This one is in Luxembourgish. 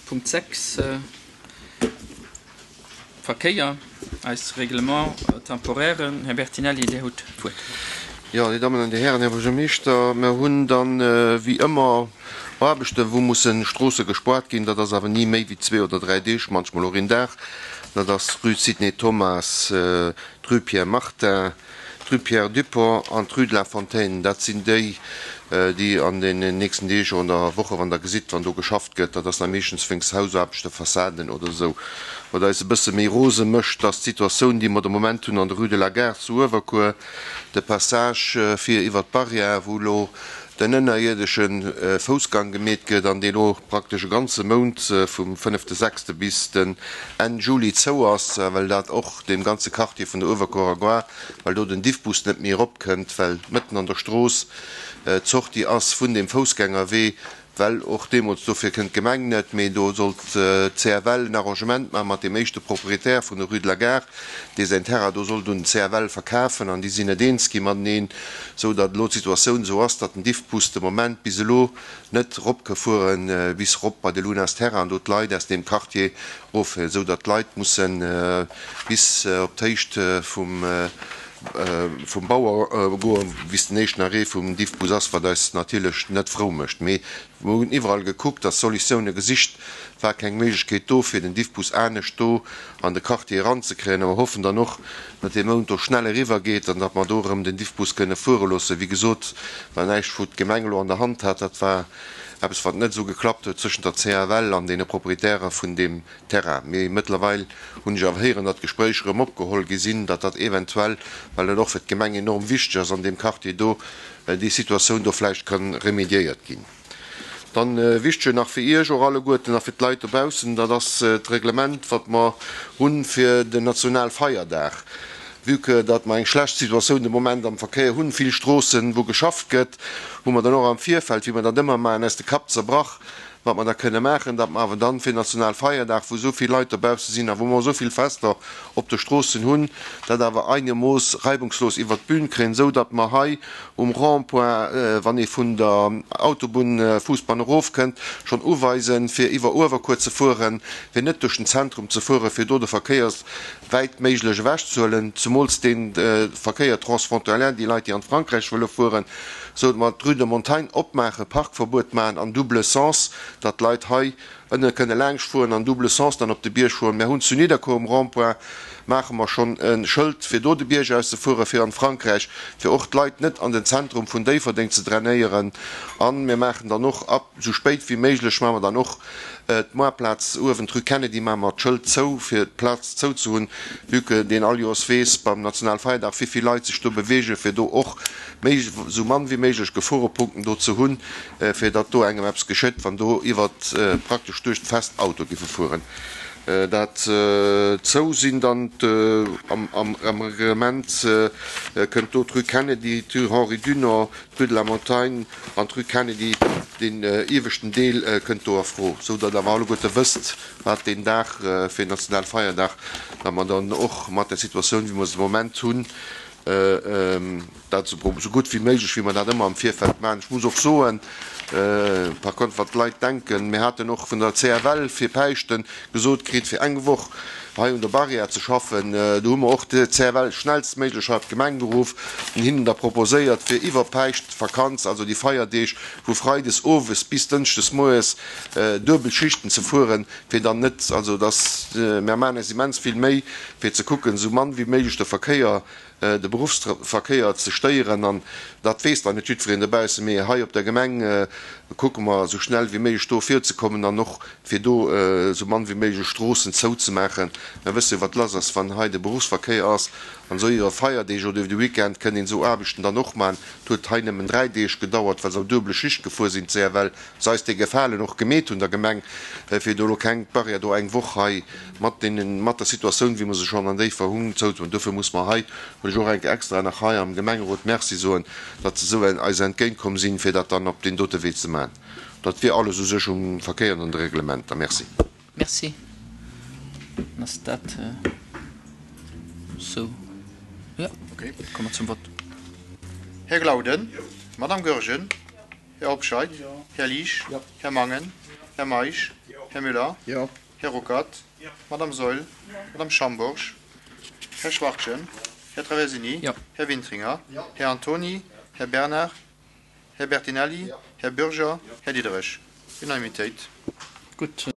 Punkt 6, Verkéier, eis Règlement temporaire. Här Bertinelli, Dir hutt d'Wuert. Jo, Dir Dammen an Dir Hären, Här Buergermeeschter, mer hunn dann wéi ëmmer Aarbechten, wou mussen Stroosse gespoart ginn. Dat ass awer ni méi wéi zwee oder dräi Deeg, manchmol och een Dag. Dat ass d'Rue Sidney Thomas, d'Rue Pierre Martin, D'Rue Pierre Dupong an d'Rue de la Fontaine, dat sinn déi, déi an den nächsten Deeg oder Woche, wann Der gesitt, wann do geschafft gëtt, dat ass da meeschtens wéinst Hausaarbechten, Fassaden oder esou. Wat eis e bësse méi rose mécht, ass d'Situatioun, déi mer de Moment hunn an der Rue de la Gare zu Uewerkuer, de Passage fir iwwert d'Barrière, wou elo den ënnerierdesche Foussgang gemeet gëtt an dee lo praktesch e ganze Mount vum fënnefte sechste bis den Enn Juli zou ass, well dat och deem ganze Quartier vun der Uewerkuerer Gare, well do den Diffbus net méi eropkënnt, well mëtten an der Strooss d'Sortie ass vun deem Foussgängerwee, well och deemools, dofir kënnt d'Gemeng net, mee do sollt d'CFL en Arrangement maache mat deem éischte Proprietär vun der Rue de la Gare, dee säin Terrain do sollt un den CFL verkafen, an déi sinn net eens gi mateneen, esou datt elo d'Situatioun esou ass, datt den Diffbus de Moment bis elo net rop ka fuere bis rop bei de Lunas Terrain an do d'Leit aus deem Quartier erofhuelen, esou datt d'Leit musse bis op d'Héicht vum vum Bauer goen, bis den éischten Arrêt vum Diffbus ass, wat eis natierlech net frou mécht. Mee mer hunn iwwerall gekuckt a Solutioune gesicht, war keng Méiglechkeet do, fir den Diffbus anescht do an de Quartier eranzekréien. A mer hoffen dann och, datt dee Mount do schnell eriwwer geet an datt mer do erëm den Diffbus kënne fuere loossen. Wéi gesot, war näischt, wou d'Gemeng elo an der Hand hat. Dat war eppes, wat net esou geklappt huet zwëschent der CFL an deene Proprietäre vun deem Terrain. Mee mëttlerweil hunn ech awer héieren, datt d'Gespréicher erëm opgeholl gi sinn, datt dat eventuell, well dat och fir d'Gemeng enorm wichteg ass an deem Quartier do, déi Situatioun do vläicht ka remediéiert ginn. Dann wichtege nach fir Iech och alleguerten a fir d'Leit dobaussen, dat ass d'Reglement, wat mer hunn fir den Nationalfeierdag. Vue que datt mer eng schlecht Situatioun de Moment am Verkéier hunn, vill Stroossen, wou geschafft gëtt, hu mer dann och am Virfeld, wéi mer dat ëmmer maachen, eis de Kapp zerbrach, Wat mer da kënne maachen, datt mer awer dann fir Nationalfeierdag, wou esou vill Leit dobausse sinn a wou mer esou vill Fester op de Stroossen hunn, dat awer einermooss reibungslos iwwert d'Bün kréien, esou datt mer hei um Rond-point, wann ee vun der Autobunn Fousbann erofkënnt, schonn uweisen, fir iwwer Uewerkuer ze fueren, fir net duerch den Zentrum ze fueren, fir do de Verkéier wäit méiglech ewechzehuelen, zemools dee Verkéier transfrontalier, déi Leit, déi an d'Frankräich wëlle fueren. Sou datt mer d'Rue de Montagne opmaachen, Parkverbuet maachen an double sens, datt d'Leit hei ënne kënne laangscht fueren an double sens dann op de Bierg fueren. Mär hunn zu Nidderkuer um Rond-point maache mer schonn e Schëld fir do de Bierg aus ze fueren fir an d'Frankräich, fir och d'Leit net an den Zentrum vun Déifferdeng ze drainéieren. A mir maachen dann och ab sou spéit wéi méiglech maache mer dann och D'Moarplaz uewen, d'Rue Kennedy, maache mer d'Schëld zou, fir d'Plaz zou ze hunn, vue que deen all Joers weess beim Nationalfeierdag, wéi vill Leit sech do beweegen, fir do och méi, esou mann wéi méiglech Geforepunkten do ze hunn, fir datt do engem eppes geschitt, wann do iwwert, praktesch duerch d'Fest Auto giffe fueren. Dat zou sinn dann am Reglement kënnt do d'Rue Kennedy, d'Rue Henri Dunant, d'Rue de la Montagne an d'Rue Kennedy, deen ieweschten Deel kënnt do a Fro, sou datt awer alleguerte wësst, wat deen Dag fir Nationalfeierdag, datt mer dann och mat der Situatioun, wéi mer se de Moment hunn, dat esou gutt wéi méiglech, wéi mer dat ëmmer am Virfeld maachen. Ech muss och soen, par contre, wat d'Leit denken, mir haten och vun der CFL fir Päischten gesot kritt, fir eng Woch hei un der Barrière ze schaffen. Do hu mer och d'CFL schnellstméiglech hei op d'Gemeng geruff an hinnen da proposéiert, fir iwwer Päischtvakanz, also déi Feierdeeg vu freides owes bis dënschdes moies, duebel Schichten ze fueren, fir dann net, also dass, mer maachen eis immens vill Méi, fir ze kucken, esou mann wéi méiglech de Verkéier de Beruffsverkéier ze stéieren an dat weess dann net jiddwereen dobaussen, mee hei op der Gemeng kucke mer esou schnell wéi méiglech do virzekommen an och fir do esou mann wéi méiglech Stroossen zouzemaachen. Mer wësse jo wat lass ass wann hei de Beruffsverkéier ass an esou iwwer Feierdeeg oder iwwer de Weekend kënnt een esou Aarbechten dann och maachen. Et huet hei nëmmen 3 Deeg gedauert, well se am duebele Schicht gefuer sinn, d'CFL, se eis dee Gefalen och gemeet hunn der Gemeng, fir do elo keng Barrière do eng Woch hei mat deenen, mat der Situatioun, wéi mer se schonn an Déiffer hunn, zouzemaachen. Dofir muss mer hei, wëll ech och eng Kéier extra nach hei am Gemengerot Merci soen, datt se esou eis entgéintkomm sinn, fir dat dann op deen dote Wee ze maachen. Dat wier alles u sech um Verkéier an an de Reglementer. Merci. Merci. Dann ass dat esou. Jo, komme mer zum Vott. Här Glauden. Madame Goergen. Här Hobscheit. Här Liesch. Här Mangen. Här Meisch. Här Müller. Jo. Här Ruckert. Madame Saeul. Madame Schambourg. Här Schwachtgen. Här Traversini. Här Wintringer. Här Antony. Här Bernard. Här Bertinelli. Här Bürger. Här Diderich. Unanimitéit. Gutt.